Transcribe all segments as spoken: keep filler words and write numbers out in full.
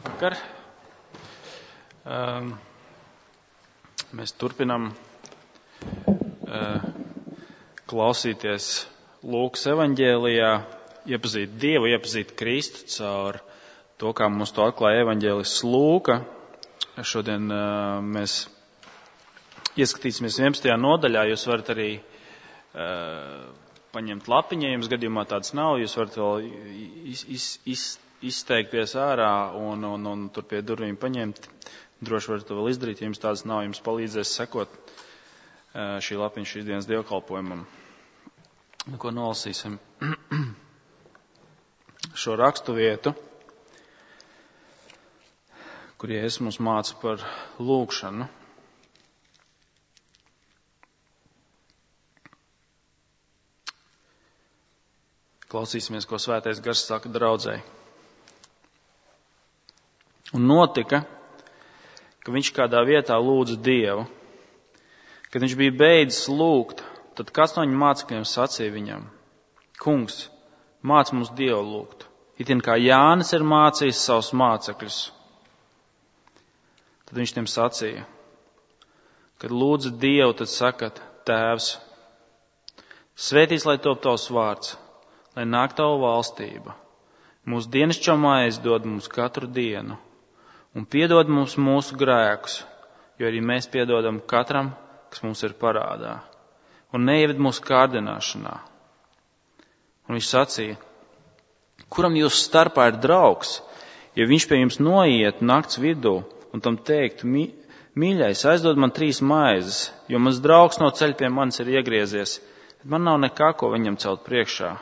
Vakar. Um, mēs turpinam uh, klausīties Lūkas evaņģēlijā, iepazīt Dievu, iepazīt Kristu caur to, kā mums to atklāja evaņģēlists Lūka. Šodien uh, mēs ieskatīsimies vienpadsmitajā nodaļā. Jūs varat arī uh, paņemt lapiņu, ja jums gadījumā tāds nav. Jūs varat vēl iz, iz, iz, izteikties ārā un, un, un tur pie durvīm paņemt. Droši varat to vēl izdarīt, ja jums tādas nav. Jums palīdzēs sekot uh, šī lapiņa šīs dienas dievkalpojumam. Ko nolasīsim? Šo rakstu vietu, kur Jēzus mums māca par lūgšanu. Klausīsimies, ko Svētais Gars saka draudzei. Un notika, ka viņš kādā vietā lūdza Dievu. Kad viņš bija beidzis lūgt, tad kāds no viņa mācekļiem sacīja viņam: Kungs, māc mums Dievu lūgt, itin kā Jānis ir mācījis savus mācekļus. Tad viņš tiem sacīja: kad lūdza Dievu, tad sakat: Tēvs, svētīts lai top tavs vārds, lai nāk tava valstība. Mūsu dienascho maizi dod mums katru dienu, un piedod mums mūsu grēkus, jo arī mēs piedodam katram, kas mums ir parādā. Un neieved mūsu kārdināšanā. Un viņš sacīja: kuram jūsu starpā ir draugs, ja viņš pie jums noiet nakts vidū un tam teiktu: mīļais, aizdod man trīs maizes, jo mans draugs no ceļa pie manis ir iegriezies, bet man nav nekā, ko viņam celt priekšā.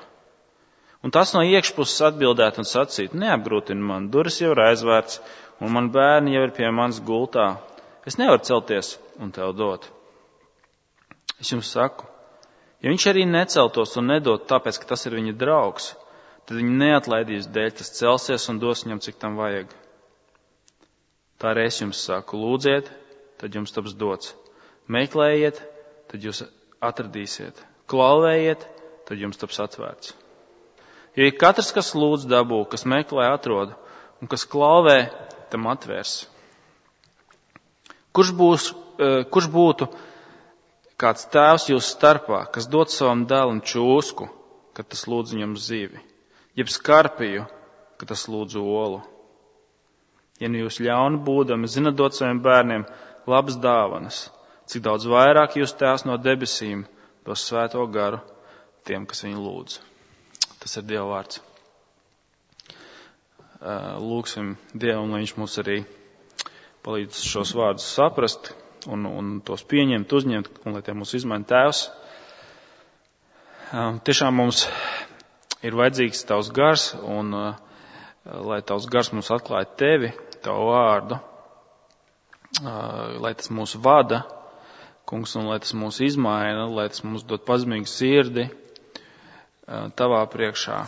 Un tas no iekšpuses atbildētu un sacītu: neapgrūtini man, durvis jau ir aizvērts, un man bērni jau ir pie manis gultā. Es nevaru celties un tev dot. Es jums saku, ja viņš arī neceltos un nedot tāpēc, ka tas ir viņa draugs, tad viņu neatlaidīs dēļ, tas celsies un dos viņam, cik tam vajag. Tā arī es jums saku: lūdziet, tad jums taps dots. Meklējiet, tad jūs atradīsiet. Klauvējiet, tad jums taps atvērts. Jo ir katrs, kas lūdz, dabū, kas meklē, atrod, un kas klauvē, tam atvērs. Kurš, būs, kurš būtu kāds tēvs jūsu starpā, kas dod savam dēlam čūsku, kad tas lūdz viņam zivi, jeb skarpiju, kad tas lūdz olu? Ja nu jūs ļauni būdami zinat dot saviem bērniem labas dāvanas, cik daudz vairāk jūs tēvs no debesīm dos svēto garu tiem, kas viņu lūdz. Tas ir Dieva vārds. Lūksim Dievam, lai viņš mums arī palīdz šos vārdus saprast un, un tos pieņemt, uzņemt, un lai tie mūs izmaina Tēvs. Tiešām mums ir vajadzīgs Tavs gars, un lai Tavs gars mums atklāja Tevi, Tavu vārdu, lai tas mūs vada, Kungs, un lai tas mūs izmaina, lai tas mums dod pazemīgu sirdi Tavā priekšā.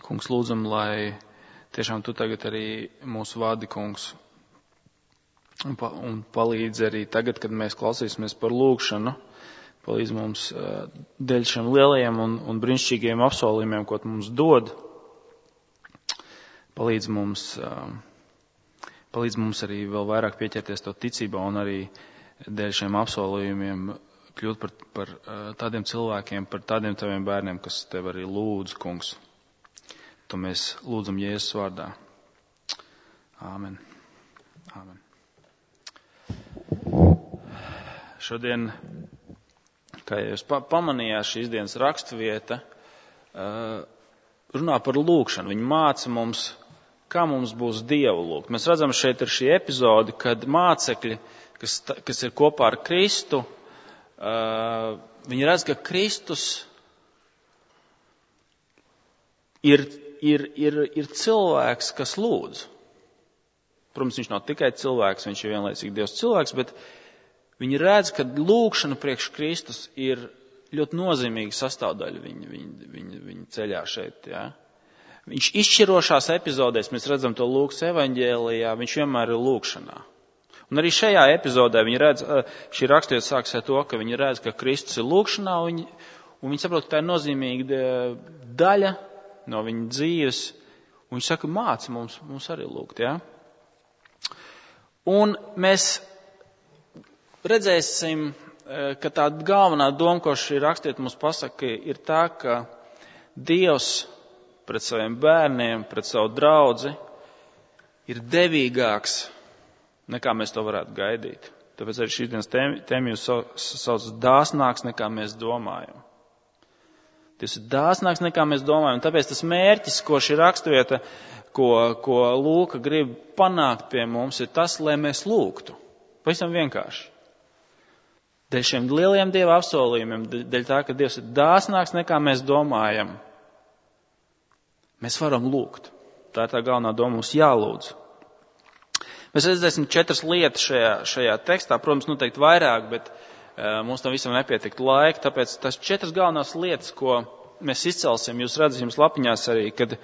Kungs, lūdzam, lai tiešām Tu tagad arī mūsu vadi, Kungs, un, pa, un palīdz arī tagad, kad mēs klausīsimies par lūgšanu, palīdz mums uh, dēļ šiem lielajiem un, un brīnišķīgiem apsolījumiem, ko Tu mums dod, palīdz mums, uh, palīdz mums arī vēl vairāk pieķerties Tavu ticībā un arī dēļ šiem apsolījumiem kļūt par, par uh, tādiem cilvēkiem, par tādiem Taviem bērniem, kas Tev arī lūdz, Kungs. To mēs lūdzam Jēzus vārdā. Āmen. Āmen. Šodien, kā jūs pamanījāt, šīs dienas rakstvieta runā par lūgšanu. Viņa māca mums, kā mums būs Dievu lūgt. Mēs redzam, šeit ir šī epizode, kad mācekļi, kas, kas ir kopā ar Kristu, viņi redz, ka Kristus ir Ir, ir, ir cilvēks, kas lūdz. Protams, viņš nav tikai cilvēks, viņš ir vienlaicīgi Dievs cilvēks, bet viņi redz, ka lūgšana priekš Kristus ir ļoti nozīmīga sastāvdaļa viņa, viņa, viņa, viņa ceļā šeit. Ja? Viņš izšķirošās epizodēs, mēs redzam to Lūkas evaņģēlijā, viņš vienmēr ir lūgšanā. Un arī šajā epizodē viņi redz, šī rakstvieta sākas ar to, ka viņi redz, ka Kristus ir lūgšanā, un viņi, un viņi saprot, ka tā ir nozīmīga daļa no viņa dzīves, Un viņš saka, māci mums, mums arī lūgt, jā. Un mēs redzēsim, ka tā galvenā doma, ko šī rakstiet mums pasaka, ir tā, ka Dievs pret saviem bērniem, pret savu draudzi ir devīgāks, nekā mēs to varētu gaidīt. Tāpēc arī šīs dienas tēma jūs sauc dāsnāks, nekā mēs domājam. Tas ir dāsnāks, nekā mēs domājam. Tāpēc tas mērķis, ko šī raksturvieta, ko, ko Lūka grib panākt pie mums, ir tas, lai mēs lūgtu. Pavisam vienkārši. Dēļ šiem lieliem Dieva apsolījumiem, dēļ tā, ka Dievs ir dāsnāks, nekā mēs domājam, mēs varam lūgt. Tā ir tā galvenā doma, mums jālūdz. Mēs redzēsim četras lietas šajā, šajā tekstā, protams, noteikti vairāk, bet uh, mums tam visam nepietiktu laika, tāpēc tas četras galvenās lietas, ko mēs izcelsim, jūs redzat jums lapiņās arī, kad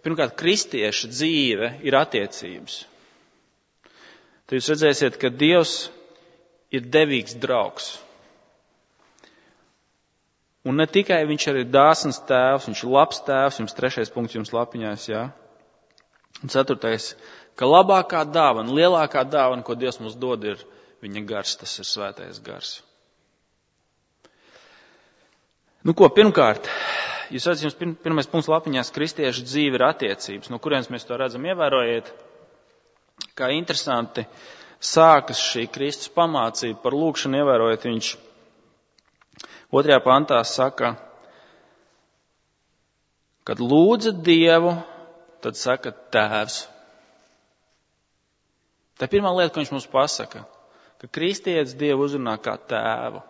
pirmkārt kristieša dzīve ir attiecības. Tad jūs redzēsiet, ka Dievs ir devīgs draugs. Un ne tikai viņš arī ir dāsns tēvs, viņš ir labs tēvs, jums trešais punkts jums lapiņās, jā. Un ceturtais, ka labākā dāvana, lielākā dāvana, ko Dievs mums dod, ir viņa gars, tas ir svētais gars. Nu ko, pirmkārt, jūs redzat, jums pirmais punkts lapiņās, kristiešu dzīve ir attiecības. No kurienes mēs to redzam, ievērojiet, kā interesanti sākas šī Kristus pamācība par lūgšanu, ievērojiet, viņš otrajā pantā saka, kad lūdzat Dievu, tad saka Tēvs. Tā ir pirmā lieta, ko viņš mums pasaka, ka kristietis Dievu uzrunā kā tēvu.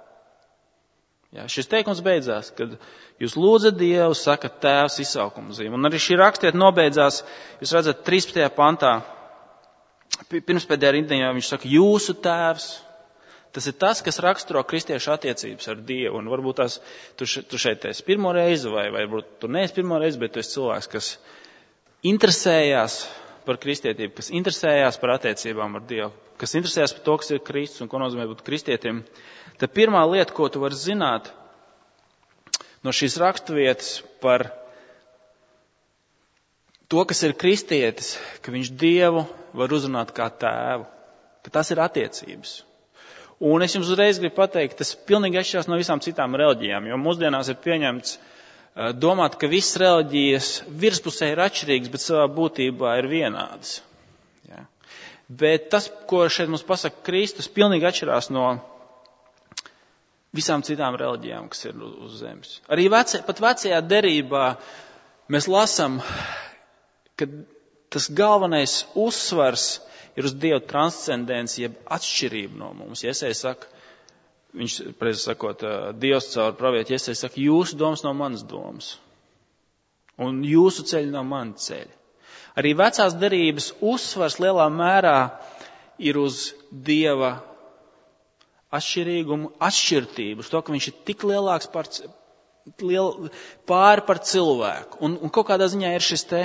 Jā, šis teikums beidzās, kad jūs lūdzat Dievu, saka Tēvs izsaukuma zīme. Un arī šī rakstiet nobeidzās, jūs redzat, trīspadsmitajā pantā, pirmspēdējā rindiņā viņš saka, jūsu Tēvs. Tas ir tas, kas raksturo kristiešu attiecības ar Dievu. Un varbūt tās, tu, še, tu šeit esi pirmo reizi, vai, vai varbūt tu neesi pirmo reizi, bet tu esi cilvēks, kas interesējās par kristietību, kas interesējās par attiecībām ar Dievu, kas interesējās par to, kas ir Kristus un ko nozīmē būt kristietim. Tad pirmā lieta, ko tu vari zināt no šīs raksturvietas par to, kas ir kristietis, ka viņš Dievu var uzrunāt kā tēvu, ka tas ir attiecības. Un es jums uzreiz gribu pateikt, tas pilnīgi atšķirās no visām citām reliģijām, jo mūsdienās ir pieņemts domāt, ka visas reliģijas virspusē ir atšķirīgas, bet savā būtībā ir vienādas. Ja? Bet tas, ko šeit mums pasaka Kristus, pilnīgi atšķirās no visām citām reliģijām, kas ir uz zemes. Arī vecē, pat vecajā derībā mēs lasam, ka tas galvenais uzsvars ir uz Dieva transcendenci, jeb atšķirību no mums. Jesaja saka, viņš, preiz sakot, Dievs caur pravieti Jesaja saka, jūsu domas nav manas domas. Un jūsu ceļi nav mani ceļi. Arī vecās derības uzsvars lielā mērā ir uz Dieva atšķirīgumu, atšķirtību, uz to, ka viņš ir tik lielāks par, liel, pāri par cilvēku. Un, un kaut kādā ziņā ir šis te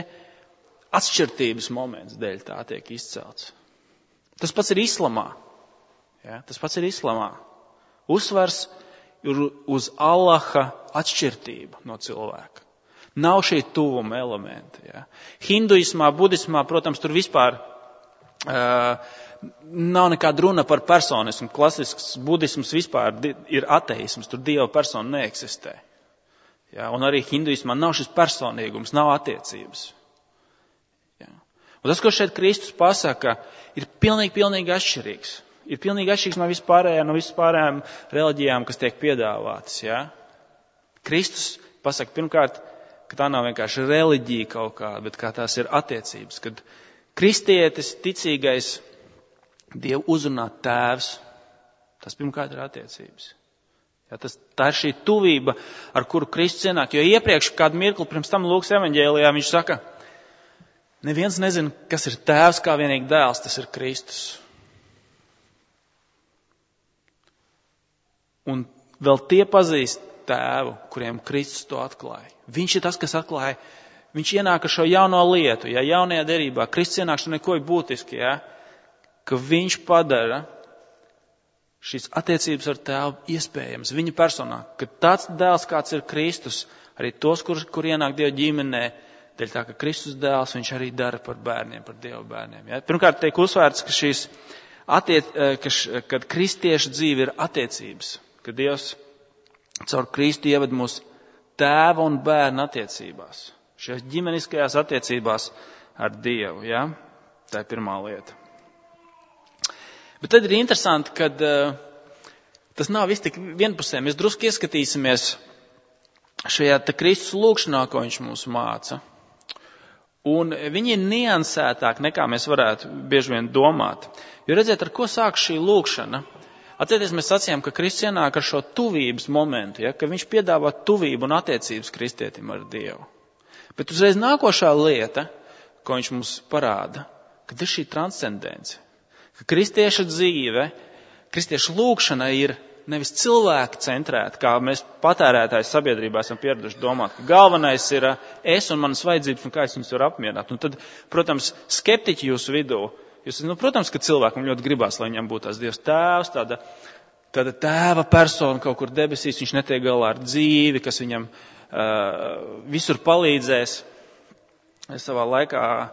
atšķirtības moments dēļ tā tiek izcelts. Tas pats ir islamā. Ja? Tas pats ir islamā. Uzsvars ir uz Allaha atšķirtību no cilvēka. Nav šī tuvuma elementa. Ja? Hinduismā, budismā, protams, tur vispār uh, nav nekāda runa par personismu. Klasisks budisms vispār ir ateisms, tur Dieva persona neeksistē. Ja? Un arī hinduismā nav šis personīgums, nav attiecības. Ja? Un tas, ko šeit Kristus pasaka, ir pilnīgi, pilnīgi atšķirīgs. Ir pilnīgi atšķirīgs no vispārējām, no vispārējām reliģijām, kas tiek piedāvātas. Ja? Kristus pasaka pirmkārt, ka tā nav vienkārši reliģija kaut kāda, bet kā tās ir attiecības. Kad kristietis, ticīgais, Dievu uzrunā tēvs, tas pirmkārt ir attiecības. Ja? Tas, tā ir šī tuvība, ar kuru Kristus ienāk. Jo iepriekš, kādu mirkli pirms tam Lūkas evaņģēlijā, viņš saka, neviens nezina, kas ir tēvs kā vienīgi dēls, tas ir Kristus. Un vēl tie pazīst tēvu, kuriem Kristus to atklāja. Viņš ir tas, kas atklāja, viņš ienāk ar šo jauno lietu, ja jaunajā derībā. Kristus ienāk šo neko būtiski, ja, ka viņš padara šīs attiecības ar tēvu iespējams viņa personā. Ka tāds dēls, kāds ir Kristus, arī tos, kur, kur ienāk Dieva ģimenē, dēļ tā, ka Kristus dēls viņš arī dara par bērniem, par Dieva bērniem. Ja? Pirmkārt, tiek uzsvērts, ka šīs attiec, ka š, kad kristiešu dzīve ir attiecības, ka Dievs caur Kristu ieved mūs tēva un bērna attiecībās, šajās ģimeniskajās attiecībās ar Dievu. Ja? Tā ir pirmā lieta. Bet tad ir interesanti, ka uh, tas nav viss tik vienpusē. Mēs drusku ieskatīsimies šajā te Kristus lūkšanā, ko viņš mums māca. Un viņi ir niansētāk, nekā mēs varētu bieži vien domāt. Jo redziet, ar ko sāk šī lūkšana? Atcerieties, mēs sacījām, ka Kristus ienāk ar šo tuvības momentu, ja? Ka viņš piedāvā tuvību un attiecības kristietim ar Dievu. Bet uzreiz nākošā lieta, ko viņš mums parāda, kad ir šī transcendence. Ka kristieša dzīve, kristieša lūkšana ir nevis cilvēku centrēta, kā mēs patērētāji sabiedrībā esam pieraduši domāt, ka galvenais ir es un manas vajadzības un kā es viņus varu apmierināt. Un tad, protams, skeptiķi jūsu vidū, jūs, nu, protams, ka cilvēkam ļoti gribās, lai viņam būtu tās Dievs tēvs, tāda, tāda tēva persona kaut kur debesīs, viņš netiek galā ar dzīvi, kas viņam uh, visur palīdzēs. Es savā laikā uh,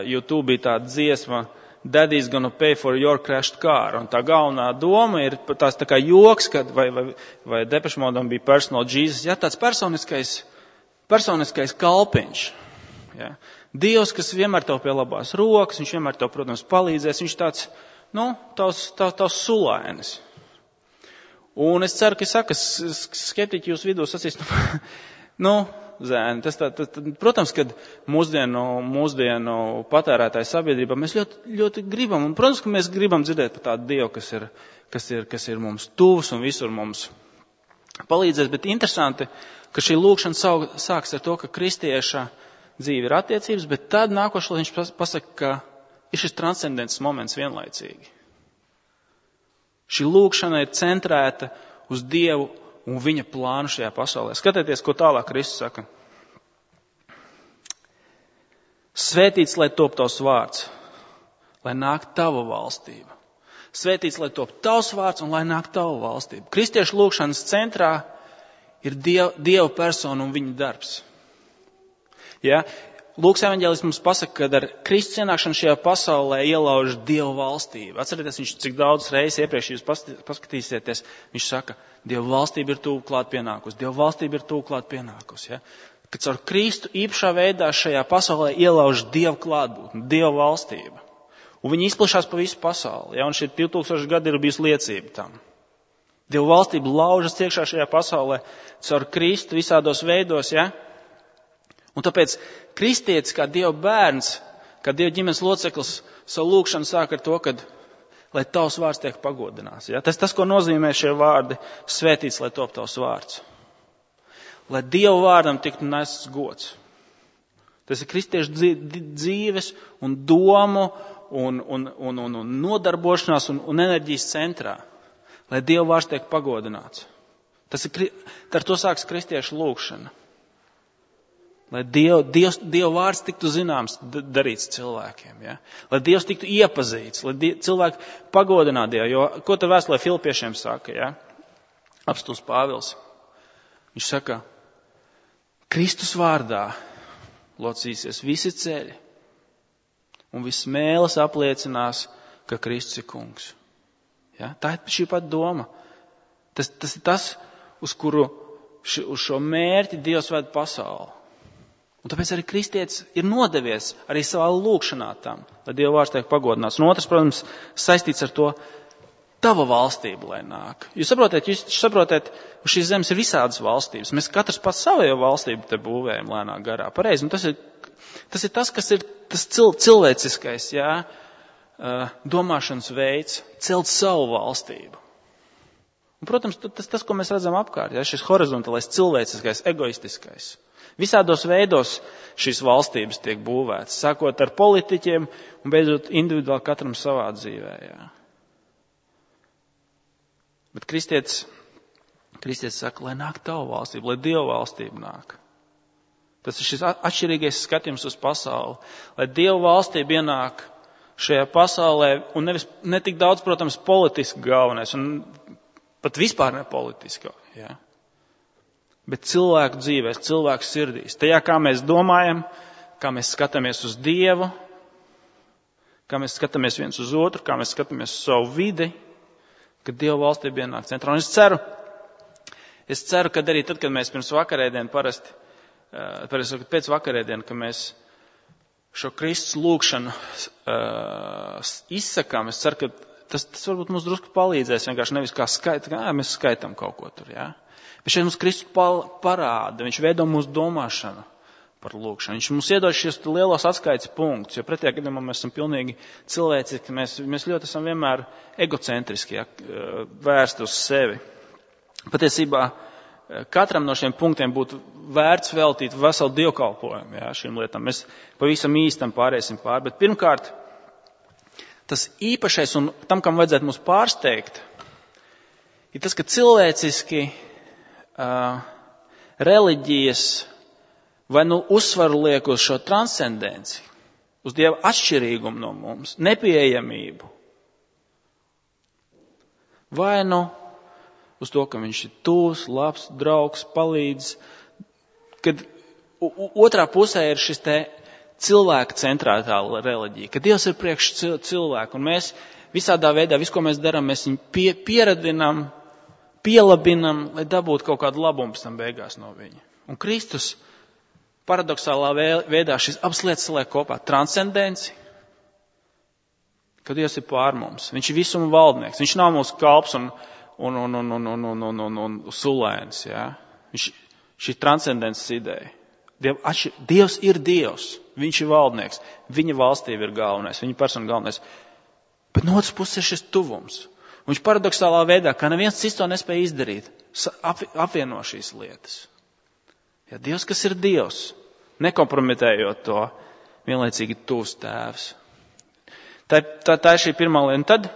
YouTube bija tāda dziesma Daddy's gonna pay for your crashed car. Un tā galvenā doma ir tās tā kā joks, kad vai, vai, vai Depeche Modam bija personal Jesus. Ja, tāds personiskais, personiskais kalpiņš. Ja. Dievs, kas vienmēr tev pie labās rokas, viņš vienmēr tev, protams, palīdzēs. Viņš tāds, nu, tavs, tavs, tavs sulainis. Un es ceru, ka saka, skeptiķi jūs vidū sacīs, nu, zēni, tas tā, tas, protams, kad mūsdienu, mūsdienu patērētāju sabiedrībā mēs ļoti, ļoti gribam, un protams, ka mēs gribam dzirdēt par tādu Dievu, kas ir, kas ir, kas ir mums tuvs un visur mums palīdzēs, bet interesanti, ka šī lūkšana sāks ar to, ka kristieša dzīve ir attiecības, bet tad nākošais viņš pasaka, ka ir šis transcendents moments vienlaicīgi. Šī lūkšana ir centrēta uz Dievu un viņa plānu šajā pasaulē. Skatieties, ko tālāk Kristus saka. Svētīts, lai top tavs vārds, lai nāk tava valstība. Svētīts, lai top tavs vārds un lai nāk tava valstība. Kristiešu lūkšanas centrā ir Dieva, Dieva persona un viņa darbs. Ja? Lūks evaņģēlis mums pasaka, ka ar Kristus ienākšanu šajā pasaulē ielauž Dieva valstību. Atcerieties, viņš cik daudz reizes iepriekš jūs paskatīsieties, viņš saka, Dieva valstība ir tuvu klāt pienākusi, Dieva valstība ir tuvu klāt pienākusi. Ja? Kad caur Kristu īpašā veidā šajā pasaulē ielauž Dieva klātbūtne, Dieva valstība. Un viņi izplašās pa visu pasauli. Ja? Un šie divi tūkstoši gadi ir bijusi liecība tam. Dieva valstība laužas iekšā šajā pasaulē caur Kristu visādos veidos, ja? Un tāpēc kristietis kā Dieva bērns, kā Dieva ģimenes loceklis, savu lūkšanu sāk ar to, kad, lai tavs vārds tiek pagodināts. Ja? Tas tas, ko nozīmē šie vārdi, svētīts, lai top tavs vārds. Lai Dieva vārdam tiktu nests gods. Tas ir kristiešu dzīves un domu un, un, un, un, un nodarbošanās un, un enerģijas centrā. Lai Dieva vārds tiek pagodināts. Tas ir, ar to sāks kristiešu lūkšana. Lai Dieva, Dievs, Dieva vārds tiktu zināms, darīts cilvēkiem. Ja? Lai Dievs tiktu iepazīts, lai die, cilvēki pagodinātu Dievu. Jo, ko te vēstulē Filipiešiem saka? Ja? Apstults Pāvils. Viņš saka, Kristus vārdā locīsies visi ceļi un viss mēles apliecinās, ka Kristus ir kungs. Ja? Tā ir šī pat doma. Tas, tas ir tas, uz kuru ši, uz šo mērķi Dievs ved pasauli. Un tāpēc arī kristietis ir nodevies arī savā lūkšanā tam, lai Dieva vārds tiek pagodināts. Un otrs, protams, saistīts ar to tava valstība, lai nāk. Jūs saprotat, jūs saprotat, uz šīs zemes ir visādas valstības. Mēs katrs pats savējo valstību te būvējam lēnā garā. Pareizi, un tas ir tas, ir tas kas ir tas cil, cilvēciskais, jā, domāšanas veids, celt savu valstību. Un, protams, tas, tas, ko mēs redzam apkārt, jā, šis horizontālais, cilvēciskais, egoistiskais. Visādos veidos šīs valstības tiek būvētas, sākot ar politiķiem un beidzot individuāli katram savā dzīvē. Jā. Bet kristietis, kristietis saka, lai nāk tava valstība, lai Dieva valstība nāk. Tas ir šis atšķirīgais skatījums uz pasauli, lai Dieva valstība ienāk šajā pasaulē un nevis, ne tik daudz, protams, politiski galvenais un pat vispār ne politisko. Jā. bet cilvēku dzīvēs, cilvēku sirdīs. Tajā, kā mēs domājam, kā mēs skatāmies uz Dievu, kā mēs skatāmies viens uz otru, kā mēs skatāmies uz savu vidi, kad Dieva valstība ienāk centrā. Un es ceru, es ceru, ka arī tad, kad mēs pirms vakarēdienu parasti, parasti pēc vakarēdienu, ka mēs šo Kristus lūgšanu uh, izsakām, es ceru, ka tas, tas varbūt mums drusku palīdzēs, vienkārši nevis kā skaita, kā mēs skaitam kaut ko tur, jā. Bet šeit mums Kristus parāda, viņš veido mūsu domāšanu par lūgšanu. Viņš mums iedod šos lielos atskaites punktus, jo pretējā gadījumā mēs esam pilnīgi cilvēciski, mēs, mēs ļoti esam vienmēr egocentriski, ja, vērsti uz sevi. Patiesībā katram no šiem punktiem būtu vērts veltīt veselu dievkalpojumu, ja, šīm lietām. Mēs pavisam īstam pāriesim pār, bet pirmkārt, tas īpašais un tam, kam vajadzētu mūs pārsteigt, ir tas, ka cilvēciski uh, reliģijas vai nu uzsvaru liek uz šo transcendenci, uz Dieva atšķirīgumu no mums, nepieejamību, vai nu uz to, ka viņš ir tūs, labs, draugs, palīdz, kad otrā pusē ir šis te cilvēka centrētā reliģija, ka Dievs ir priekš cilvēku, un mēs visādā veidā, visu, ko mēs darām, mēs viņu pie, pieradinām, pielabinam, lai dabūtu kaut kādu labumu pēc tam beigās no viņa. Un Kristus paradoxālā veidā šis abas lietas saliek kopā. Transcendenci, ka Dievs ir pār mums. Viņš ir visuma valdnieks. Viņš nav mūsu kalps un, un, un, un, un, un, un, un, un, un sulēns. Ja? Viņš, šī transcendences ideja. Diev, atšķir, Dievs ir Dievs. Viņš ir valdnieks. Viņa valstība ir galvenais. Viņa persona galvenais. Bet no otras puses ir šis tuvums. Viņš paradoxālā veidā, kā neviens cits to nespēja izdarīt, apvieno šīs lietas. Ja Dievs, kas ir Dievs, nekompromitējot to, vienlaicīgi tuvs tēvs. Tā, tā, tā ir šī pirmā lieta. Un tad,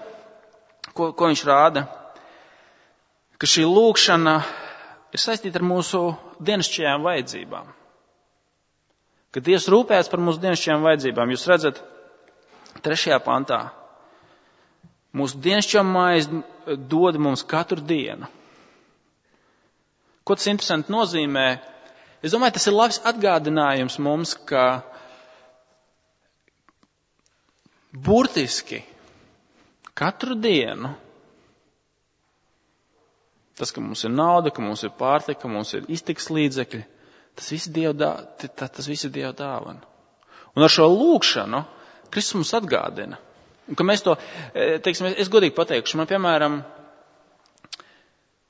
ko, ko viņš rāda, ka šī lūgšana ir saistīta ar mūsu dienasčajām vajadzībām. Ka Dievs rūpējas par mūsu dienasčajām vajadzībām. Jūs redzat, trešajā pantā, mūsu dienasčā maize dod mums katru dienu. Ko tas interesanti nozīmē? Es domāju, tas ir labs atgādinājums mums, ka burtiski katru dienu tas, ka mums ir nauda, ka mums ir pārtika, ka mums ir iztikas līdzekļi, tas viss Dieva dā, tas viss ir Dieva dāvana. Un ar šo lūgšanu Kristus mums atgādina. Un ka mēs to, teiksim, es godīgi pateikšu, man, piemēram,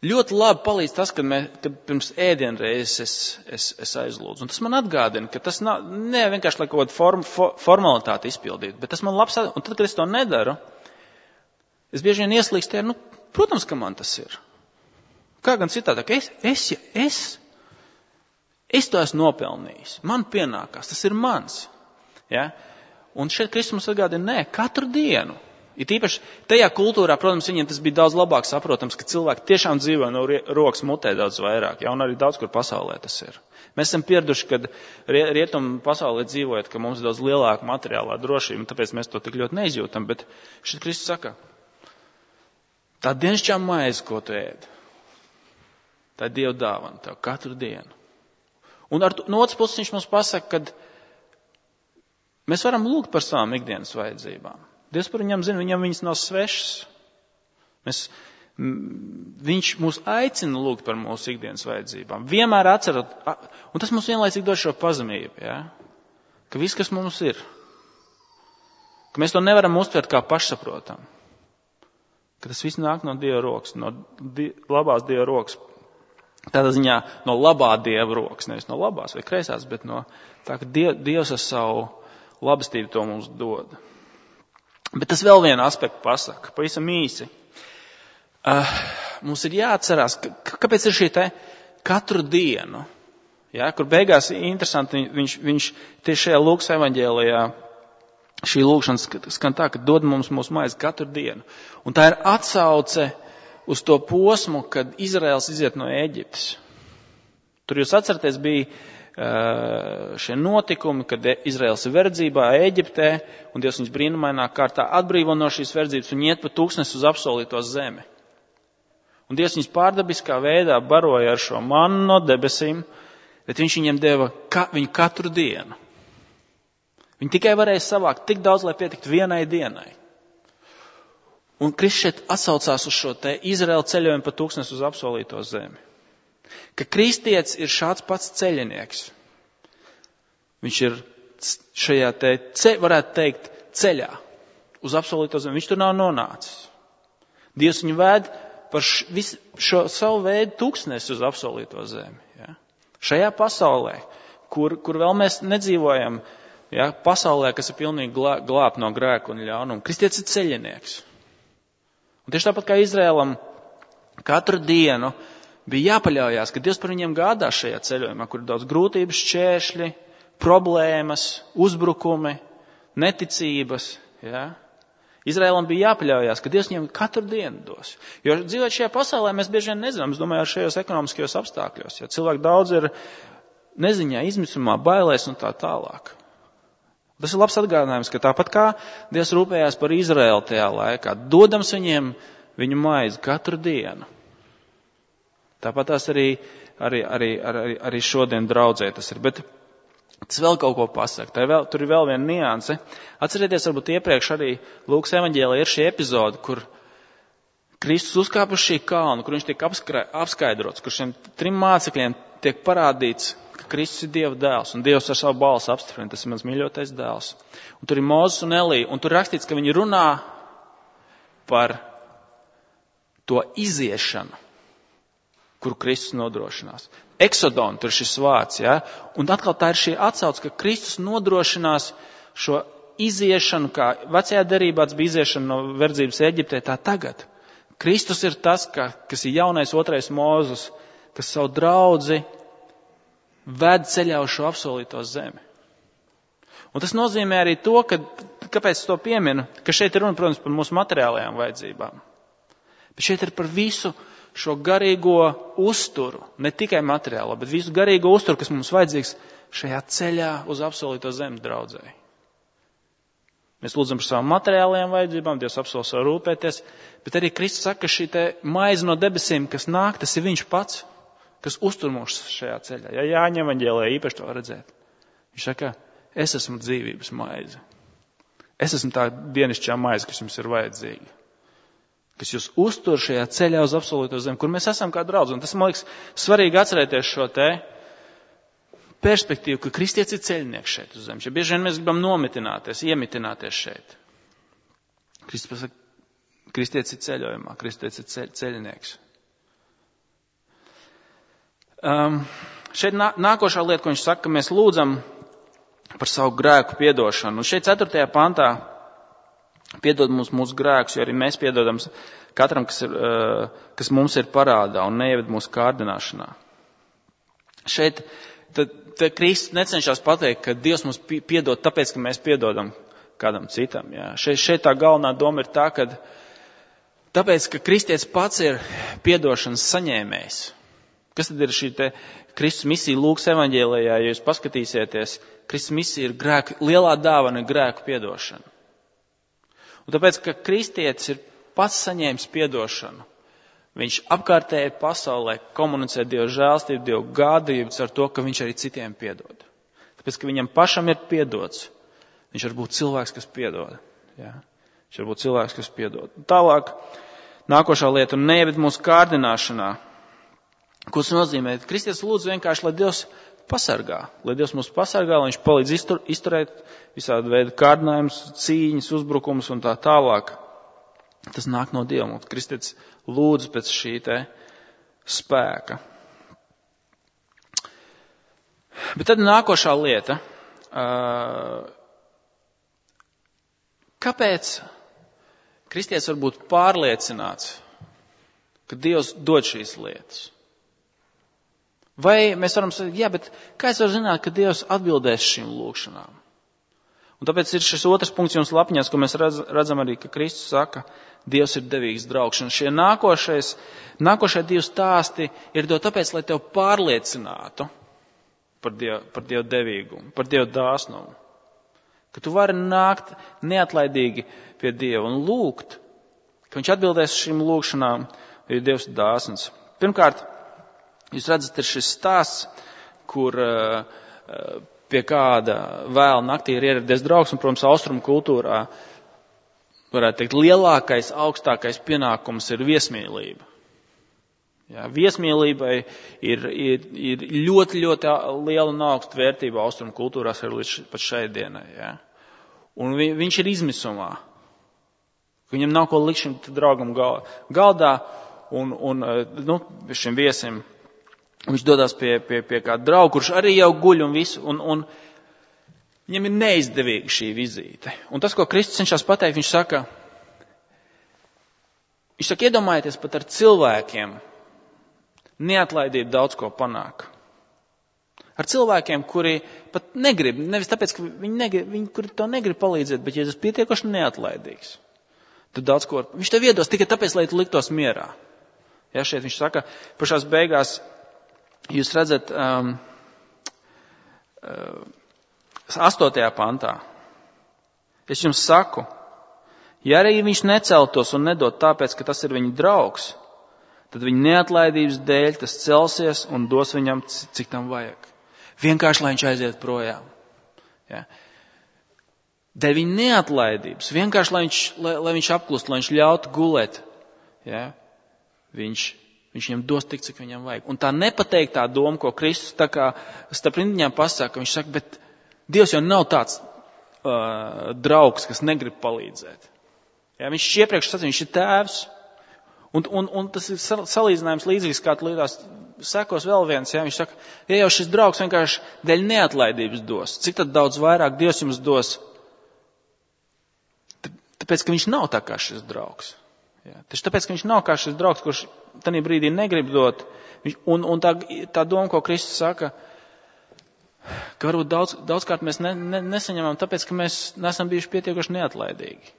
ļoti labi palīdz tas, kad, mē, kad pirms ēdienreizes es, es, es aizlūdzu. Un tas man atgādina, ka tas nav, ne vienkārši, lai kaut kādu form, for, formalitāti izpildītu, bet tas man labs, un tad, kad es to nedaru, es bieži vien ieslīgstu, nu, protams, ka man tas ir. Kā gan citādāk, es, es, es, es to esmu nopelnījis, man pienākās, tas ir mans, ja? Un šeit Kristus mums atgādina, nē, katru dienu. Ir tīpaši tajā kultūrā, protams, viņiem tas bija daudz labāk saprotams, ka cilvēki tiešām dzīvo no rokas mutē daudz vairāk, ja, un arī daudz kur pasaulē tas ir. Mēs esam pieraduši, kad rietumu pasaulē dzīvojot, ka mums ir daudz lielāka materiālā drošība, un tāpēc mēs to tik ļoti neizjūtam, bet šeit Kristus saka, tā dienasčā maize, ko tu ēd, tā ir Dieva dāvana tev katru dienu. Un ar, no otras puses viņš mums pasaka, kad mēs varam lūgt par savām ikdienas vajadzībām. Dievs par viņam zina, viņam viņas nav svešas. Mēs, viņš mūs aicina lūgt par mūsu ikdienas vajadzībām. Vienmēr atcerot, un tas mums vienlaicīgi dod šo pazemību, ja? Ka viss, kas mums ir, ka mēs to nevaram uztvert kā pašsaprotam. Ka tas viss nāk no Dieva rokas, no die, labās Dieva rokas. Tādā ziņā no labā Dieva rokas, nevis no labās vai kreisās, bet no tā, ka die, Dievs ar savu labestību to mums dod. Bet tas vēl vienu aspektu pasaka, pavisam īsi. Uh, mums ir jāatcerās, ka, kāpēc ir šī te katru dienu, ja, kur beigās interesanti, viņš, viņš tieši šajā Lūkas evaņģēlijā, šī lūkšana skan tā, ka dod mums mūsu maizi katru dienu. Un tā ir atsauce uz to posmu, kad Izraels iziet no Ēģiptes. Tur jūs atceraties, bija šie notikumi, kad Izraels ir verdzībā Ēģiptē, un Dievs viņus brīnumainā kārtā atbrīvo no šīs verdzības un iet pa tūkstnes uz apsolīto zemi. Un Dievs viņus pārdabiskā veidā baroja ar šo mannu no debesīm, bet viņš viņiem deva ka, viņu katru dienu. Viņi tikai varēja savākt tik daudz, lai pietiktu vienai dienai. Un Kristus šeit atsaucās uz šo te Izraēla ceļojumu pa tūkstnes uz apsolīto zemi. Ka kristietis ir šāds pats ceļinieks. Viņš ir šajā te, ce, varētu teikt, ceļā uz apsolīto zemi. Viņš tur nav nonācis. Dievs viņu vēd par š, visu, šo savu veidu tūkstnesi uz apsolīto zemi. Ja? Šajā pasaulē, kur, kur vēl mēs nedzīvojam, ja? Pasaulē, kas ir pilnīgi glā, glābt no grēka un ļaunuma. Kristietis ir ceļinieks. Un tieši tāpat kā Izrēlam katru dienu bija jāpaļaujās, ka Dievs par viņiem gādā šajā ceļojumā, kur ir daudz grūtības, šķēršļi, problēmas, uzbrukumi, neticības. Ja? Izrēlam bija jāpaļaujās, ka Dievs viņiem katru dienu dos. Jo dzīvot šajā pasaulē mēs bieži vien nezinām, es domāju, ar šajos ekonomiskajos apstākļos. Ja? Cilvēki daudz ir neziņā, izmisumā, bailēs un tā tālāk. Tas ir labs atgādinājums, ka tāpat kā Dievs rūpējās par Izraēlu tajā laikā, dodams viņiem viņu maizi katru dienu. Tāpat tās arī, arī, arī, arī, arī šodien draudzē tas ir. Bet tas vēl kaut ko pasaka. Vēl, tur ir vēl viena nianse. Atcerieties, varbūt iepriekš arī Lūkas evaņģēlijā ir šī epizode, kur Kristus uzkāp uz šī kalna, kur viņš tiek apskaidrots, kur šiem trim mācekļiem tiek parādīts, ka Kristus ir Dieva dēls, un Dievs ar savu balsi apstiprina, tas ir mans mīļotais dēls. Un tur ir Mozus un Elija, un tur rakstīts, ka viņi runā par to iziešanu, kuru Kristus nodrošinās. Eksodon, tur ir šis vārds, ja? Un atkal tā ir šī atsauce, ka Kristus nodrošinās šo iziešanu, kā vecajā derībā bija iziešana no verdzības Eģiptē, tā tagad. Kristus ir tas, ka, kas ir jaunais otrais Mozus, kas savu draudzi ved ceļā uz šo apsolīto zemi. Un tas nozīmē arī to, ka, kāpēc es to pieminu, ka šeit ir runa, protams, par mūsu materiālajām vajadzībām. Bet šeit ir par visu šo garīgo uzturu, ne tikai materiālo, bet visu garīgo uzturu, kas mums vajadzīgs šajā ceļā uz apsolīto zemi draudzēji. Mēs lūdzam par savām materiālajām vajadzībām, Dievs apsola savu rūpēties, bet arī Kristus saka, ka šī te maize no debesīm, kas nāk, tas ir viņš pats, kas uztur mūs šajā ceļā. Ja Jāņa evaņģēlijā īpaši to redzēt. Viņš saka, es esmu dzīvības maize. Es esmu tā dienišķā maize, kas jums ir vajadzīga. Kas jūs uztur šajā ceļā uz apsolīto zemi, kur mēs esam kā draudz. Un tas, man liekas, svarīgi atcerēties šo te perspektīvu, ka kristietis ir ceļnieks šeit uz zemes. Ja bieži vien mēs gribam nomitināties, iemitināties šeit. Kristus pasaka, kristietis ir ceļojumā, kristietis ir ceļ, ceļnieks. Um, šeit nā, nākošā lieta, ko viņš saka, ka mēs lūdzam par savu grēku piedošanu. Un šeit ceturtajā pantā piedod mums mūsu grēkus, jo arī mēs piedodam katram, kas, ir, uh, kas mums ir parādā un neieved mūsu kārdināšanā. Šeit tad, tad Kristus necenšas pateikt, ka Dievs mums piedod tāpēc, ka mēs piedodam kādam citam. Jā. Šeit, šeit tā galvenā doma ir tā, ka tāpēc, ka kristietis pats ir piedošanas saņēmējs. Kas tad ir šī te Kristus misija Lūkas evaņģēlijā, ja jūs paskatīsieties, Kristus misija ir grēku, lielā dāvana ir grēku piedošana. Un tāpēc, ka kristietis ir pats saņēmis piedošanu, viņš apkārtējai pasaulē komunicē Dievu žēlstību, Dievu gādību ar to, ka viņš arī citiem piedod. Tāpēc, ka viņam pašam ir piedots, viņš var būt cilvēks, kas piedod. Jā? Viņš var būt cilvēks, kas piedod. Tālāk, nākošā lieta, un neieved mūsu kārdināšanā. Ko tas nozīmē? Kristietis lūdz vienkārši, lai Dievs pasargā, lai Dievs mūs pasargā, lai viņš palīdz iztur, izturēt visādi veidu kārdinājumus, cīņas, uzbrukumus un tā tālāk. Tas nāk no Dieva. Mums kristietis lūdz pēc šī te spēka. Bet tad nākošā lieta. Kāpēc kristietis var būt pārliecināts, ka Dievs dod šīs lietas? Vai mēs varam sakāt, jā, bet kā es varu zināt, ka Dievs atbildēs šīm lūgšanām? Un tāpēc ir šis otrs punkts jums lapiņās, ko mēs redz, redzam arī, ka Kristus saka, Dievs ir devīgs draugs. Un šie nākošais, nākošie divi stāsti ir to tāpēc, lai tev pārliecinātu par Dievu, par Dievu devīgumu, par Dievu dāsnumu. Ka tu vari nākt neatlaidīgi pie Dieva un lūgt, ka viņš atbildēs šīm lūgšanām. jo Dievs ir dāsns. Pirmkārt, jūs redzat, ir šis stāsts, kur uh, pie kāda vēl naktī ir ieradies draugs, un, protams, austrumu kultūrā, varētu teikt, lielākais, augstākais pienākums ir viesmīlība. Jā, viesmīlībai ir, ir, ir ļoti, ļoti liela un augsta vērtība austrumu kultūrās arī līdz pat šai dienai. Jā. Un vi, viņš ir izmisumā. Viņam nav ko likt šim draugam galdā, un, un nu, šim viesim viņš dodās pie, pie, pie kāda drauga, kurš arī jau guļ un visu, un, un viņam ir neizdevīga šī vizīte. Un tas, ko Kristus cenšas pateikt, viņš saka, viņš saka, iedomājieties pat ar cilvēkiem, neatlaidība daudz ko panāk. Ar cilvēkiem, kuri pat negrib, nevis tāpēc, ka viņi, negrib, viņi kuri to negrib palīdzēt, bet ja tas pietiekoši neatlaidīgs, tad daudz ko, viņš tev iedos tikai tāpēc, lai tu liktos mierā. Ja, šeit viņš saka, pašās beigās, jūs redzat, um, uh, astotajā pantā, es jums saku, ja arī viņš neceltos un nedod tāpēc, ka tas ir viņa draugs, tad viņa neatlaidības dēļ tas celsies un dos viņam, cik tam vajag. Vienkārši, lai viņš aiziet projām. Ja. Dēļ viņa neatlaidības, vienkārši, lai viņš, lai, lai viņš apklust, lai viņš ļautu gulēt. Ja. Viņš, viņš viņam dos tik, cik viņam vajag. Un tā nepateiktā doma, ko Kristus tā kā starp rindiņām pasaka, viņš saka, bet Dievs jau nav tāds uh, draugs, kas negrib palīdzēt. Ja. Viņš iepriekš sacīja, viņš ir tēvs. Un, un, un tas ir salīdzinājums līdzīgs, kā līdās sekos vēl viens. Ja? Viņš saka, ja jau šis draugs vienkārši dēļ neatlaidības dos, cik tad daudz vairāk Dievs jums dos? Tāpēc, ka viņš nav tā kā šis draugs. Ja? Taču tāpēc, ka viņš nav kā šis draugs, kurš tajā brīdī negrib dot. Un, un tā, tā doma, ko Kristus saka, ka varbūt daudz, daudzkārt mēs ne, ne, nesaņemam tāpēc, ka mēs neesam bijuši pietiekoši neatlaidīgi.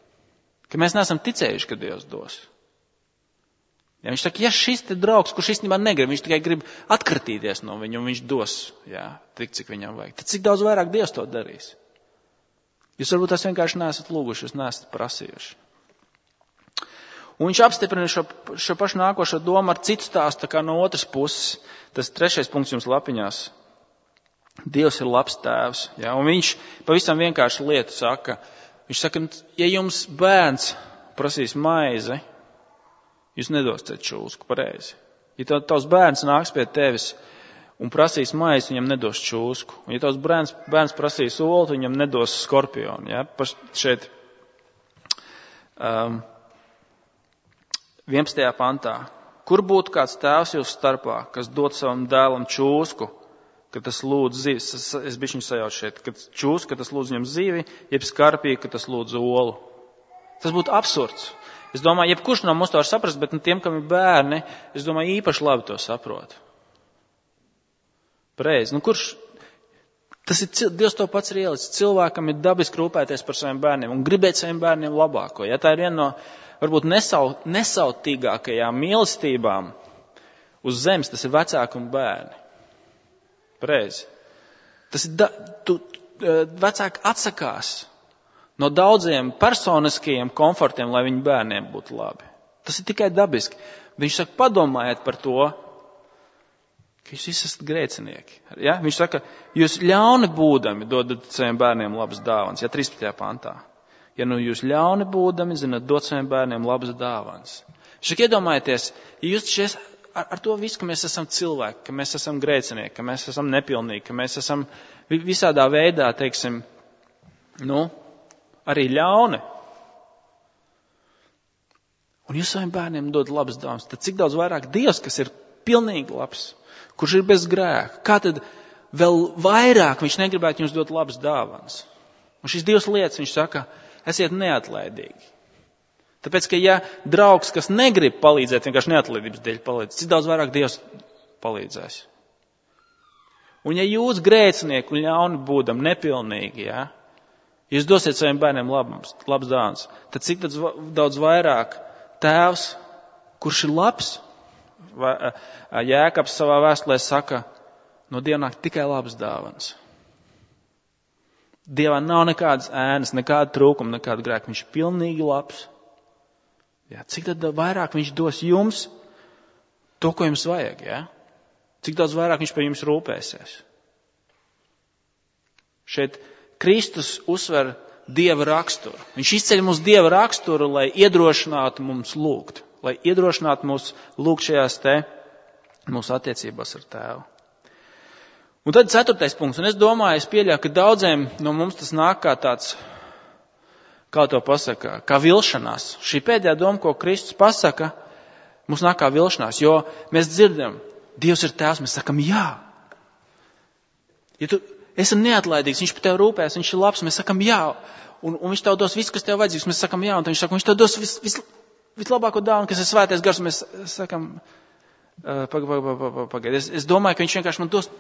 Ka mēs neesam ticējuši, ka Dievs dos. Ja, viņš saka, ja šis te draugs, kurš īstenībā negrib, viņš tikai grib atkratīties no viņu, un viņš dos, jā, tik, cik viņam vajag. Tad cik daudz vairāk Dievs to darīs? Jūs varbūt tās vienkārši neesat lūguši, jūs neesat prasījuši. Un viņš apstiprina šo, šo pašu nākošo domu ar citu stāstu, tā kā no otras puses. Tas trešais punkts jums lapiņās. Dievs ir labs tēvs. Ja, un viņš pavisam vienkārši lietu saka. Viņš saka, ja jums bērns prasīs maizi, jūs nedosiet čūsku, pareizi. Ja tavs bērns nāks pie tevis un prasīs maizi, viņam nedos čūsku. Un ja tavs bērns, bērns prasīs olu, viņam nedos skorpionu. Ja? Paš šeit um, vienpadsmitajā pantā. Kur būtu kāds tēvs jūsu starpā, kas dod savam dēlam čūsku, ka tas lūdz zivi, es bišķiņu sajaucu šeit, ka čūsku, ka tas lūdz viņam zivi, jeb skarpī, ka tas lūdz olu. Tas būtu absurds. Es domāju, jebkurš no mums to var saprast, bet tiem, kam ir bērni, es domāju, īpaši labi to saprot. Pareizi. Nu, kurš, tas ir, Dievs to pats ir ielicis. Cilvēkam ir dabiski rūpēties par saviem bērniem un gribēt saviem bērniem labāko. Ja tā ir viena no, varbūt nesau, nesautīgākajām mīlestībām uz zemes, tas ir vecāki un bērni. Pareizi. Tas ir, da, tu, vecāki atsakās no daudziem personiskajiem komfortiem, lai viņu bērniem būtu labi. Tas ir tikai dabiski. Viņš saka, padomājiet par to, ka jūs visi esat grēcinieki. Ja? Viņš saka, jūs ļauni būdami dodat saviem bērniem labas dāvanas. Ja trīspadsmitajā pantā. Ja nu jūs ļauni būdami, zināt, dot saviem bērniem labas dāvanas. Viņš saka, iedomājieties, ja jūs šies, ar, ar to visu, ka mēs esam cilvēki, ka mēs esam grēcinieki, ka mēs esam nepilnīgi, ka mēs esam visādā veidā, teiksim, nu, arī ļauni. Un jūs saviem bērniem dod labas dāvanas, tad cik daudz vairāk Dievs, kas ir pilnīgi labs, kurš ir bez grēka, kā tad vēl vairāk viņš negribētu jums dot labas dāvanas. Un šīs divas lietas viņš saka, esiet neatlaidīgi. Tāpēc, ka ja draugs, kas negrib palīdzēt, vienkārši neatlaidības dēļ palīdz, cik daudz vairāk Dievs palīdzēs. Un ja jūs grēcinieki un ļauni būdam nepilnīgi, ja, jūs dosiet saviem bērniem labas, labas dāvanas, tad cik daudz vairāk Tēvs, kurš ir labs, Jēkabs savā vēstulē saka, no Dieva nāk tikai labas dāvanas. Dievā nav nekādas ēnas, nekāda trūkuma, nekāda grēka. Viņš ir pilnīgi labs. Jā, cik tad vairāk viņš dos jums To, ko jums vajag, ja? Cik daudz vairāk viņš par jums rūpēsies. Šeit Kristus uzsver Dieva raksturu. Viņš izceļ mums Dieva raksturu, lai iedrošinātu mums lūgt. Lai iedrošinātu mums lūgt šajās te mūsu attiecībās ar Tēvu. Un tad ceturtais punkts. Un es domāju, es pieļauju, ka daudziem no mums tas nāk kā tāds, kā to pasaka, kā vilšanās. Šī pēdējā doma, ko Kristus pasaka, mums nāk kā vilšanās. Jo mēs dzirdam, Dievs ir Tēvs, mēs sakam jā. Ja tu esi neatlaidīgs, viņš par tevi rūpēs, viņš ir labs, mēs sakam jā. Un, un viņš tev dos visu, kas tev vajadzīgs, mēs sakam jā. Un viņš saka, viņš tev dos vis, vis, vislabāko dāvanu, kas ir svētais gars, un mēs sakam, uh, pagaid, pagaid, pagaid, pagaid. Es, es domāju, ka viņš vienkārši man dos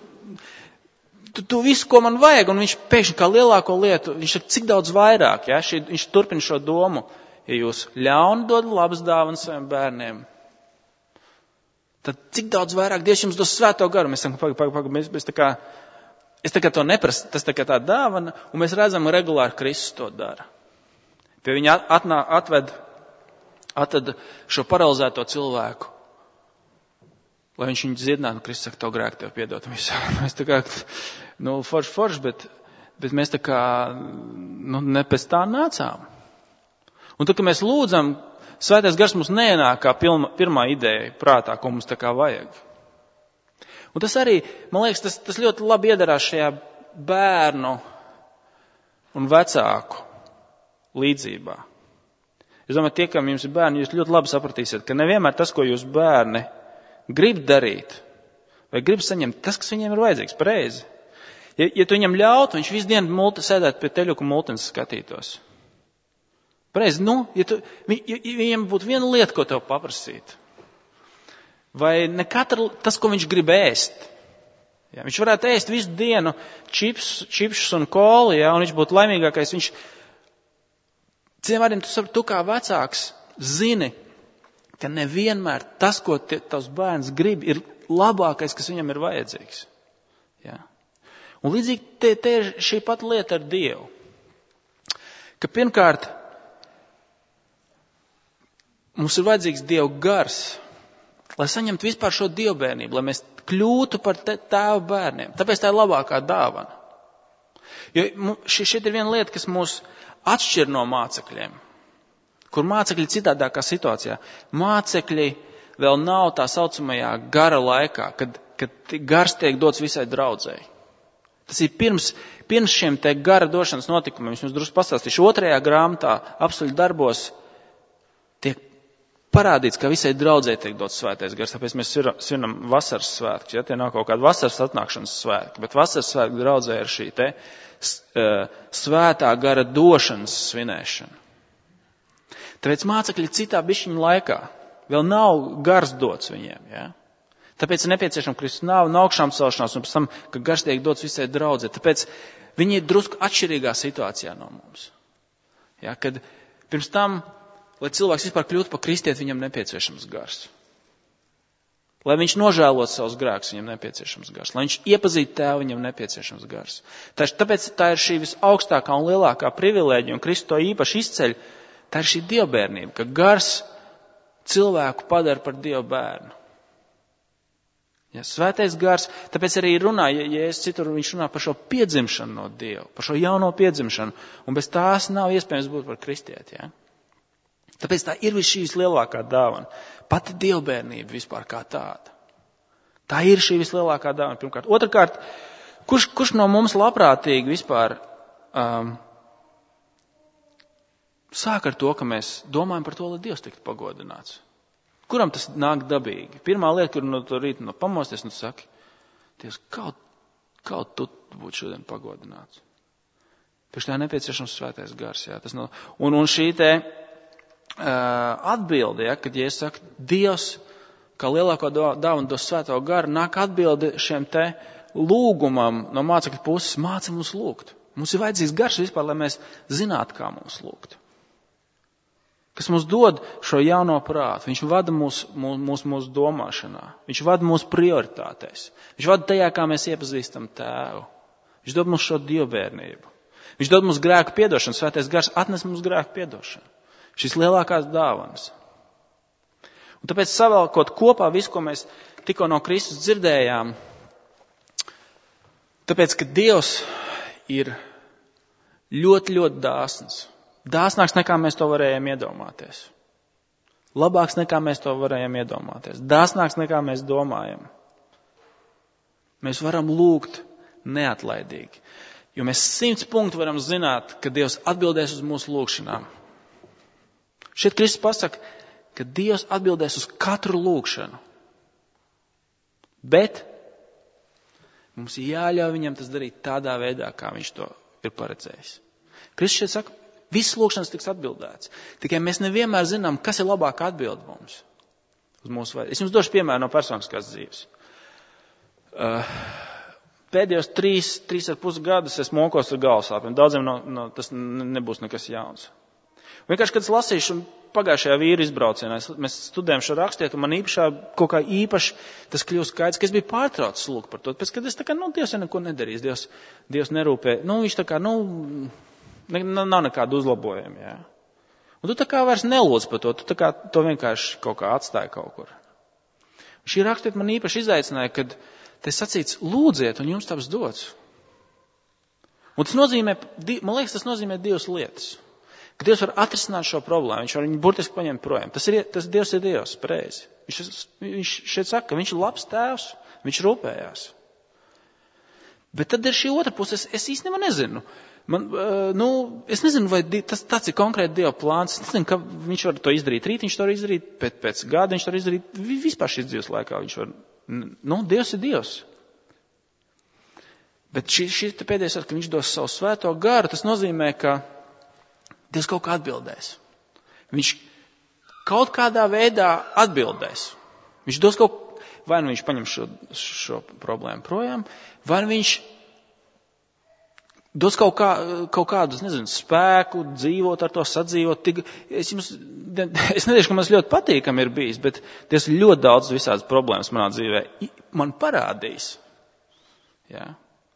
tu, tu visu, ko man vajag, un viņš pēkšņi kā lielāko lietu, viņš saka, cik daudz vairāk, ja? Šī, viņš turpina šo domu, ja jūs ļauni dod labas dāvanas saviem bērniem, tad cik daudz vairāk Dievs jums dos svēto garu. Mēs sakam, pagaid, pagaid, pagaid, mēs, mēs tā kā, es tā kā to neprasu, tas tā kā tā dāvana, un mēs redzam, regulāri Kristus to dara. Pie viņa atnā, atved, atved šo paralizēto cilvēku, lai viņš viņu dziedinātu, un Kristus saka, to grēku tev piedot. Mēs tā kā, nu, forši, forši, bet, bet mēs tā kā, nu, ne pēc tā nācām. Un tad, kad mēs lūdzam, Svētais gars mums neienāk kā pilma, pirmā ideja prātā, ko mums tā kā vajag. Un tas arī, man liekas, tas, tas ļoti labi iedarās šajā bērnu un vecāku līdzībā. Es domāju, tie, kam jums ir bērni, jūs ļoti labi sapratīsiet, ka nevienmēr tas, ko jūs bērni grib darīt, vai grib saņemt, tas, kas viņiem ir vajadzīgs, pareizi. Ja, ja tu viņam ļautu, viņš visu dienu multi, sēdētu pie teļuku multens skatītos. Pareizi, nu, ja, tu, ja, ja viņam būtu viena lieta, ko tev paprasīt, vai ne katra, tas, ko viņš grib ēst. Ja, viņš varētu ēst visu dienu čips, čipšus un koli, ja, un viņš būtu laimīgākais. Viņš, ciem vārdiem, tu, tu kā vecāks zini, ka nevienmēr tas, ko tie, tavs bērns grib, ir labākais, kas viņam ir vajadzīgs. Ja. Un līdzīgi te, te ir šī pat lieta ar Dievu. Ka pirmkārt, mums ir vajadzīgs Dieva gars, lai saņemtu vispār šo dievbērnību, lai mēs kļūtu par tēva bērniem. Tāpēc tā ir labākā dāvana. Jo šeit ir viena lieta, kas mūs atšķir no mācekļiem, kur mācekļi citādākā situācijā. Mācekļi vēl nav tā saucamajā gara laikā, kad, kad gars tiek dots visai draudzēji. Tas ir pirms, pirms šiem te gara došanas notikumiem. Es jums drusku pastāstīšu. Otrajā grāmatā apstuļu darbos tiek parādīts, ka visai draudzē tiek dots svētais gars, tāpēc mēs svinam vasaras svētkus, ja tie nav kaut kāda vasaras atnākšanas svētki, bet vasaras svētku draudzē ir šī te svētā gara došanas svinēšana. Tāpēc mācekļi citā bišķiņa laikā vēl nav gars dots viņiem, ja? Tāpēc ir nepieciešama Kristus nāve un augšām celšanās, un pēc tam, ka gars tiek dots visai draudzē. Tāpēc viņi ir drusku atšķirīgā situācijā no mums. Ja? Kad pirms tam, lai cilvēks vispār kļūtu par kristieti, viņam nepieciešams gars. Lai viņš nožēlot savus grēkus, viņam nepieciešams gars. Lai viņš iepazītu tēvu, viņam nepieciešams gars. Tāpēc tā ir šī visaugstākā un lielākā privilēģija, un Kristus to īpaši izceļ, tā ir šī dievbērnība, ka gars cilvēku padara par dievu bērnu. Ja, svētais gars, tāpēc arī runā, ja, ja es citur, viņš runā par šo piedzimšanu no Dieva, par šo jauno piedzimšanu, un bez tās nav iespējams būt par kristieti, ja. Tāpēc tā ir šīs lielākā dāvana. Pati dievbērnība vispār kā tāda. Tā ir šī vislielākā dāvana, pirmkārt. Otrakārt, kurš, kurš no mums labprātīgi vispār um, sāk ar to, ka mēs domājam par to, lai Dievs tiktu pagodināts? Kuram tas nāk dabīgi? Pirmā lieta, kur no to rīta no pamosties, nu saki, Dievs, kaut, kaut tu būtu šodien pagodināts. Pēc tā nepieciešams svētais gars, jā. Tas no, un, un šī te atbildi, ja, kad, ja es saku, Dievs, kā lielāko dāvanu dos svēto garu, nāk atbildi šiem te lūgumam no mācekļu puses, māca mums lūgt. Mums ir vajadzīgs gars vispār, lai mēs zinātu, kā mums lūgt. Kas mums dod šo jauno prātu. Viņš vada mūsu mūs, mūs domāšanā. Viņš vada mūsu prioritātēs. Viņš vada tajā, kā mēs iepazīstam tēvu. Viņš dod mums šo dievbērnību. Viņš dod mums grēku piedošanu. Svētais gars atnes mums grēku piedošanu. Šīs lielākās dāvanas. Un tāpēc savēlkot kopā visu, ko mēs tikko no Kristus dzirdējām, tāpēc, ka Dievs ir ļoti, ļoti dāsns. Dāsnāks nekā mēs to varējām iedomāties. Labāks nekā mēs to varējām iedomāties. Dāsnāks nekā mēs domājam. Mēs varam lūgt neatlaidīgi. Jo mēs simts punktu varam zināt, ka Dievs atbildēs uz mūsu lūgšanām. Šeit Kristus pasaka, ka Dievs atbildēs uz katru lūgšanu. Bet mums ir jāļauj viņam tas darīt tādā veidā, kā viņš to ir paredzējis. Kristus šeit saka, visas lūgšanas tiks atbildēts. Tikai mēs nevienmēr zinām, kas ir labāka atbilde mums. Uz mūsu vajag. Es jums došu piemēru no personiskās dzīves. Uh, Pēdējos trīs, trīs ar pus gadus es mokos ar galvasāpēm. Daudziem no, no, tas nebūs nekas jauns. Vienkārši, kad es lasīšu pagājušajā vīru izbraucienā, mēs studējam šo rakstiet, un man īpašā, kaut kā īpaši tas kļūst skaidrs, ka es biju pārtraucis lūgt par to. Pēc, kad es tā kā, nu, Dievs jau neko nedarīs, Dievs, Dievs nerūpē. Nu, viņš tā kā, nu, ne, nav nekādu uzlabojumu, jā. Un tu tā kā vairs nelūdz par to, tu tā kā to vienkārši kaut kā atstāji kaut kur. Un šī rakstiet man īpaši izaicināja, kad te sacīts, lūdziet, un jums taps dots. Un tas nozīmē, man liekas, tas nozīmē divas lietas. Ka Dievs var atrisināt šo problēmu, viņš var viņu burtiski paņemt projām. Tas ir, tas Dievs ir Dievs, pareizi. Viņš, viņš šeit saka, ka viņš ir labs tēvs, viņš rūpējās. Bet tad ir šī otra puse, es, es īstenībā nezinu. Man, uh, nu, es nezinu, vai tas tāds ir konkrēti Dieva plāns. Es nezinu, ka viņš var to izdarīt rīt, viņš to var izdarīt pēc, pēc gada, viņš to var izdarīt vispār šīs dzīves laikā. Viņš var, nu, Dievs ir Dievs. Bet šī, šī pēdējais ar, ka viņš dos savu svēto garu, tas nozīmē, ka Dievs kaut kā atbildēs. Viņš kaut kādā veidā atbildēs. Viņš dos kaut, vai nu viņš paņem šo, šo problēmu projām, vai nu viņš dos kaut, kā, kaut kādus, nezinu, spēku, dzīvot ar to, sadzīvot. Tik, es jums, es nedēļu, ka man ļoti patīkam ir bijis, bet Dievs ļoti daudz visādas problēmas manā dzīvē man parādījis. Jā.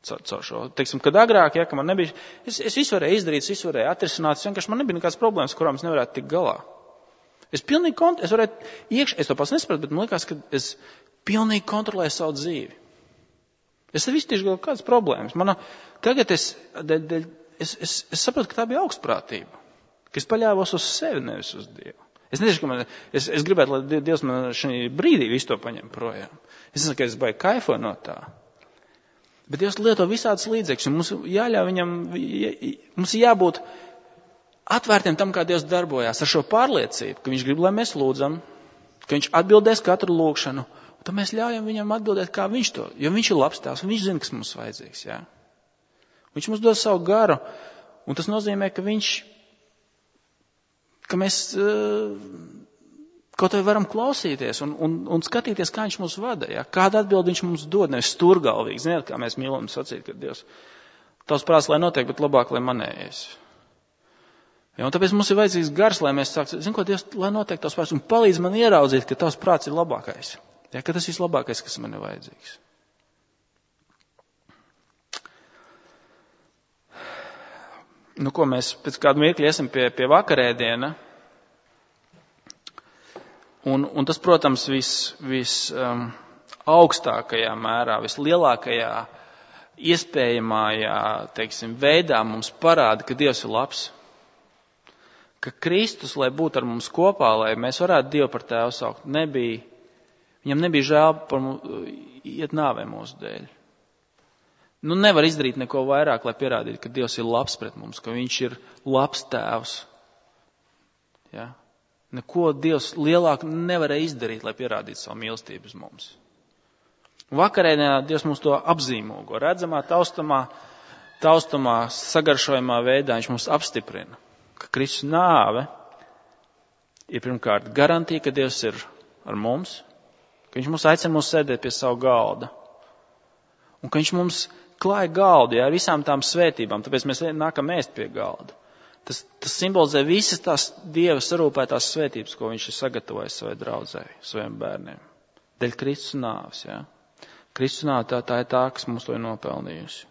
Caur šo. Teiksim, kad agrāk, ja, ka man nebija, es, es visu varēju izdarīt, es visu varēju atrisināt, es vienkārši man nebija nekādas problēmas, kurām es nevarētu tikt galā. Es pilnīgi kont- es varētu iekš, es to pats nesapratu, bet man liekas, ka es pilnīgi kontrolēju savu dzīvi. Es tev iztīšu kaut kādas problēmas. Mana, tagad es, de, de, es, es, es sapratu, ka tā bija augstprātība, ka es paļāvos uz sevi, nevis uz Dievu. Es nezinu, ka man, es, es gribētu, lai Dievs man šī brīdī visu to paņem projām. Es nezinu, ka es baigi kaifoju no tā. Bet Dievs lieto visādas līdzekļus, un mums jāļauj viņam, mums jābūt atvērtiem tam, kā Dievs darbojās, ar šo pārliecību, ka viņš grib, lai mēs lūdzam, ka viņš atbildēs katru lūgšanu, un tad mēs ļaujam viņam atbildēt, kā viņš to, jo viņš ir labs tēvs, un viņš zina, kas mums vajadzīgs, jā. Viņš mums dod savu garu, un tas nozīmē, ka viņš, ka mēs kaut vai varam klausīties un, un, un skatīties, kā viņš mūs vada, jā. Kādu atbildi viņš mums dod, nevis sturgalvīgi. Ziniet, kā mēs mīlam sacīt, ka Dievs, tavs prāts, lai notiek, bet labāk, lai manējais. Ja, un tāpēc mums ir vajadzīgs gars, lai mēs sāksim, zinu, ko Dievs, lai notiek tavs prāts, un palīdz man ieraudzīt, ka tavs prāts ir labākais. Ja, ka tas ir vislabākais, kas man ir vajadzīgs. Nu, ko mēs pēc kādu mirkli esam pie, pie vakarēdiena. Un, un tas, protams, vis, vis um, augstākajā mērā, vislielākajā iespējamājā, teiksim, veidā mums parāda, ka Dievs ir labs. Ka Kristus, lai būtu ar mums kopā, lai mēs varētu Dievu par tēvu saukt, nebija, viņam nebija žēl par mums, iet nāvē mūsu dēļ. Nu, nevar izdarīt neko vairāk, lai pierādītu, ka Dievs ir labs pret mums, ka viņš ir labs tēvs. Ja? Neko Dievs lielāk nevarēja izdarīt, lai pierādītu savu mīlestību uz mums. Vakarēdienā Dievs mums to apzīmogo, redzamā, taustamā, taustamā, sagaršojumā veidā viņš mums apstiprina, ka Kristus nāve ir pirmkārt garantija, ka Dievs ir ar mums, ka viņš mums aicina mūs sēdēt pie savu galda, un ka viņš mums klāja galdu, jā, ar visām tām svētībām, tāpēc mēs nākam ēst pie galda. Tas, tas simbolizē visas tās Dieva sarūpētās svētības, ko viņš ir sagatavojis savai draudzei, saviem bērniem. Dēļ Kristus nāves, jā. Kristus nāve tā, tā ir tā, kas mums to ir nopelnījusi.